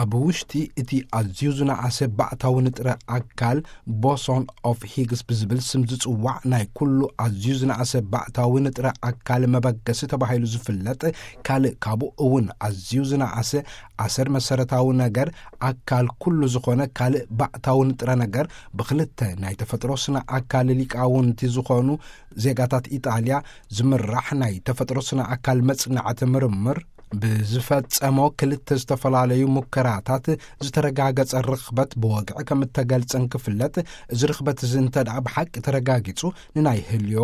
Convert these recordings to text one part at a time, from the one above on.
ኣብ ውሽጢ እቲ ኣዝዩ ዝነኣሰ ባእታዊ ንጥረ ኣካል፣ ቦሶን ኦፍ ሂግስ ብዝብል ስም ዝጽዋዕ ናይ ኩሉ ኣዝዩ ዝነኣሰ ባእታዊ ንጥረ ኣካል መበገሲ ተባሂሉ ዝፍለጥ ካልእ፣ ካብኡ እውን ኣዝዩ ዝነኣሰ ኣሰር መሰረታዊ ነገር ኣካል ኩሉ ዝኾነ ካልእ ባእታዊ ንጥረ ነገር፣ ብክልተ ናይ ተፈጥሮ ስነ ኣካል ሊቃውንቲ ዝኾኑ ዜጋታት ኢጣልያ ዝምራሕ ናይ ተፈጥሮ ስነ ኣካል መጽናዕቲ ምርምር ብዝፈጸሞ ክልተ ዝተፈላለዩ ሙከራታት ዝተረጋገጸ ርኽበት ብወግዒ ከም እተገልጸን ክፍለጥ፣ እዚ ርኽበት እዚ እንተ ደኣ ብሓቂ ተረጋጊጹ፣ ንናይ ህልዮ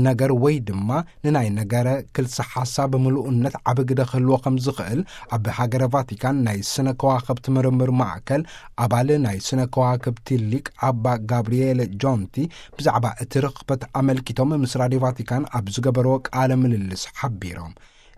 ነገር ወይ ድማ ንናይ ነገረ ክልሰ ሓሳብ ምሉእነት ዓቢ ግደ ክህልዎ ከም ዝኽእል፣ ኣብ ሃገረ ቫቲካን ናይ ስነ ከዋኽብቲ ምርምር ማእከል ኣባል ናይ ስነ ከዋክብቲ ሊቅ ኣባ ጋብርኤለ ጆንቲ ብዛዕባ እቲ ርኽበት ኣመልኪቶም ምስ ራድዮ ቫቲካን ኣብ ዝገበርዎ ቃለ ምልልስ ሓቢሮም።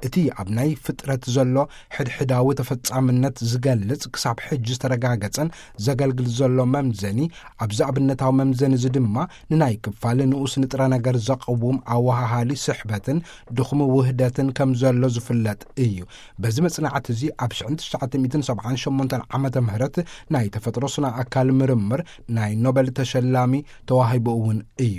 እቲ ኣብ ናይ ፍጥረት ዘሎ ሕድሕዳዊ ተፈጻምነት ዝገልጽ ክሳብ ሕጂ ዝተረጋገጸን ዘገልግል ዘሎ መምዘኒ፣ ኣብዚ ኣብነታዊ መምዘኒ እዚ ድማ ንናይ ክፋል ንኡስ ንጥረ ነገር ዘቕውም ኣወሃሃሊ ስሕበትን ድኹም ውህደትን ከም ዘሎ ዝፍለጥ እዩ። በዚ መጽናዕቲ እዚ ኣብ ሽሕን ትሽዓተ ሚእትን ሰብዓን ሸሞንተን ዓመተ ምህረት ናይ ተፈጥሮ ስነ ኣካል ምርምር ናይ ኖበል ተሸላሚ ተዋሂቡ እውን እዩ።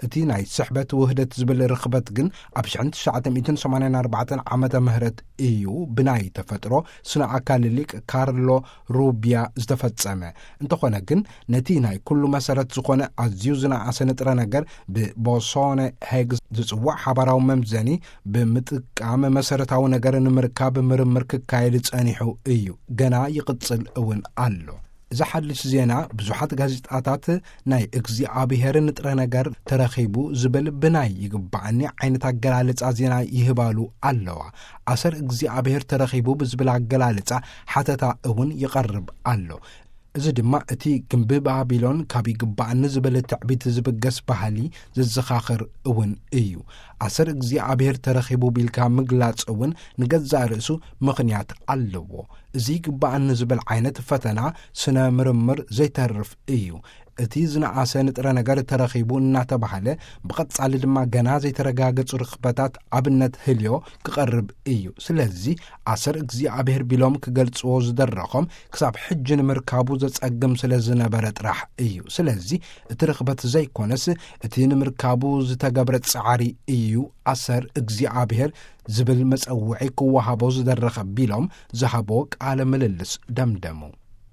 እቲ ናይ ስሕበት ውህደት ዝብል ርኽበት ግን ኣብ ሽሕን ትሽዓተ ሚእትን ሰማንያን ኣርባዕተን ዓመተ ምህረት እዩ ብናይ ተፈጥሮ ስነ ኣካል ሊቅ ካርሎ ሩቢያ ዝተፈጸመ። እንተኾነ ግን ነቲ ናይ ኩሉ መሰረት ዝኾነ ኣዝዩ ዝነኣሰ ንጥረ ነገር ብቦሶነ ሄግስ ዝጽዋዕ ሓባራዊ መምዘኒ ብምጥቃም መሰረታዊ ነገር ንምርካብ ምርምር ክካየድ ጸኒሑ እዩ። ገና ይቕጽል እውን ኣሎ። እዚ ሓድሽ ዜና ብዙሓት ጋዜጣታት ናይ እግዚኣብሔር ንጥረ ነገር ተረኺቡ ዝብል ብናይ ይግባኣኒ ዓይነት ኣገላልጻ ዜና ይህባሉ ኣለዋ። ኣሰር እግዚኣብሔር ተረኺቡ ብዝብል ኣገላልጻ ሓተታ እውን ይቐርብ ኣሎ። እዚ ድማ እቲ ግምቢ ባቢሎን ካብ ይግባኣኒ ዝብል ትዕቢት ዝብገስ ባህሊ ዘዘኻኽር እውን እዩ። ኣሰር እግዚኣብሔር ተረኺቡ ቢልካ ምግላጽ እውን ንገዛእ ርእሱ ምኽንያት ኣለዎ። እዚ ይግባኣኒ ዝብል ዓይነት ፈተና ስነ ምርምር ዘይተርፍ እዩ። እቲ ዝነኣሰ ንጥረ ነገር ተረኺቡ እናተባህለ፣ ብቐጻሊ ድማ ገና ዘይተረጋገጹ ርኽበታት ኣብነት ህልዮ ክቐርብ እዩ። ስለዚ ኣሰር እግዚኣብሔር ቢሎም ክገልጽዎ ዝደረኾም ክሳብ ሕጂ ንምርካቡ ዘጸግም ስለ ዝነበረ ጥራሕ እዩ። ስለዚ እቲ ርኽበት ዘይኮነስ እቲ ንምርካቡ ዝተገብረ ጻዕሪ እዩ ኣሰር እግዚኣብሔር ዝብል መጸውዒ ክወሃቦ ዝደረኸ ቢሎም ዝሃቦ ቃለ ምልልስ ደምደሙ።